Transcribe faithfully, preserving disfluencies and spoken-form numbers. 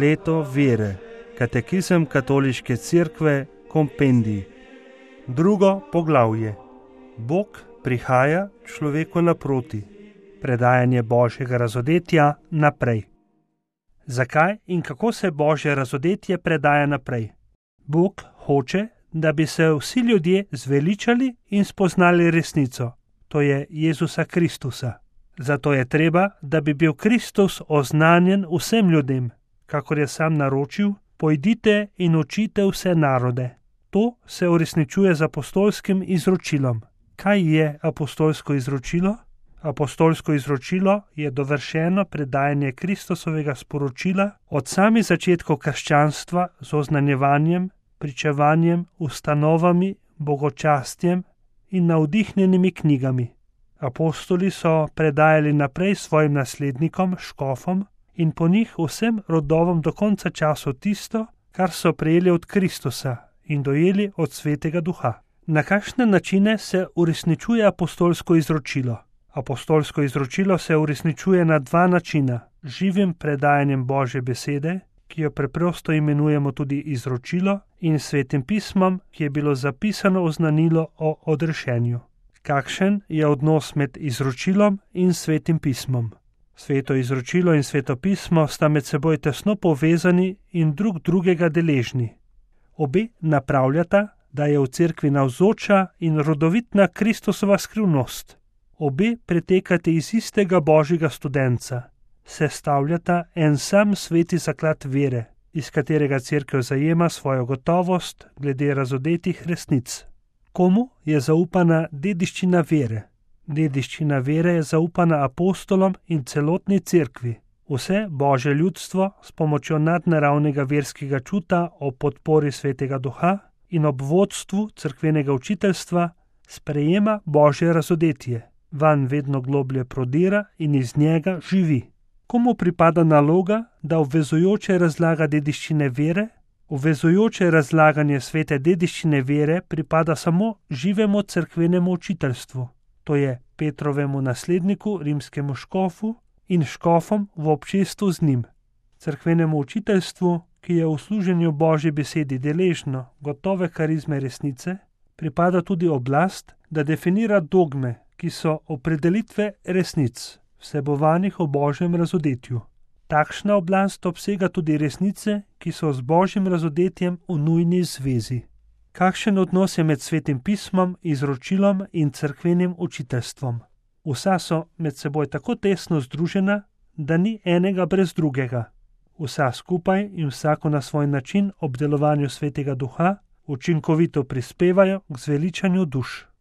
leto vere. Katekizem Katoliške cerkve, kompendij. Drugo poglavje. Bog prihaja človeku naproti. Predajanje Božjega razodetja naprej. Zakaj in kako se Božje razodetje predaja naprej? Bog hoče, da bi se vsi ljudje zveličali in spoznali resnico, to je Jezusa Kristusa. Zato je treba, da bi bil Kristus oznanjen vsem ljudem, kakor je sam naročil, pojdite in učite vse narode. To se uresničuje z apostolskim izročilom. Kaj je apostolsko izročilo? Apostolsko izročilo je dovršeno predajanje Kristusovega sporočila od samih začetkov krščanstva z oznanjevanjem, pričevanjem, ustanovami, bogočastjem in navdihnjenimi knjigami. Apostoli so predajali naprej svojim naslednikom, škofom in po njih vsem rodovom do konca časov tisto, kar so prejeli od Kristusa in dojeli od Svetega Duha. Na kakšne načine se uresničuje apostolsko izročilo? Apostolsko izročilo se uresničuje na dva načina. Živim predajanjem Božje besede, ki jo preprosto imenujemo tudi izročilo, in Svetim pismom, ki je bilo zapisano oznanilo o odrešenju. Kakšen je odnos med izročilom in Svetim pismom? Sveto izročilo in Sveto pismo sta med seboj tesno povezani in drug drugega deležni. Obe napravljata, da je v cerkvi navzoča in rodovitna Kristusova skrivnost. Obe pretekate iz istega Božjega studenca, sestavljata en sam sveti zaklad vere, iz katerega cerkev zajema svojo gotovost glede razodetih resnic. Komu je zaupana dediščina vere? Dediščina vere je zaupana apostolom in celotni cerkvi. Vse Božje ljudstvo s pomočjo nadnaravnega verskega čuta o podpori Svetega Duha in ob vodstvu cerkvenega učiteljstva sprejema Božje razodetje, vanj vedno globlje prodira in iz njega živi. Komu pripada naloga, da obvezujoče razlaga dediščine vere? Obvezujoče razlaganje svete dediščine vere pripada samo živemu cerkvenemu učiteljstvu, to je Petrovemu nasledniku, rimskemu škofu in škofom v občestvu z njim. Cerkvenemu učiteljstvu, ki je v služenju Božji besedi deležno gotove karizme resnice, pripada tudi oblast, da definira dogme, ki so opredelitve resnic, vsebovanih v Božjem razodetju. Takšna oblast obsega tudi resnice, ki so z Božjim razodetjem v nujni zvezi. Kakšen odnos je med Svetim pismom, izročilom in cerkvenim učiteljstvom? Vsa so med seboj tako tesno združena, da ni enega brez drugega. Vsa skupaj in vsako na svoj način ob delovanju Svetega Duha učinkovito prispevajo k zveličanju duš.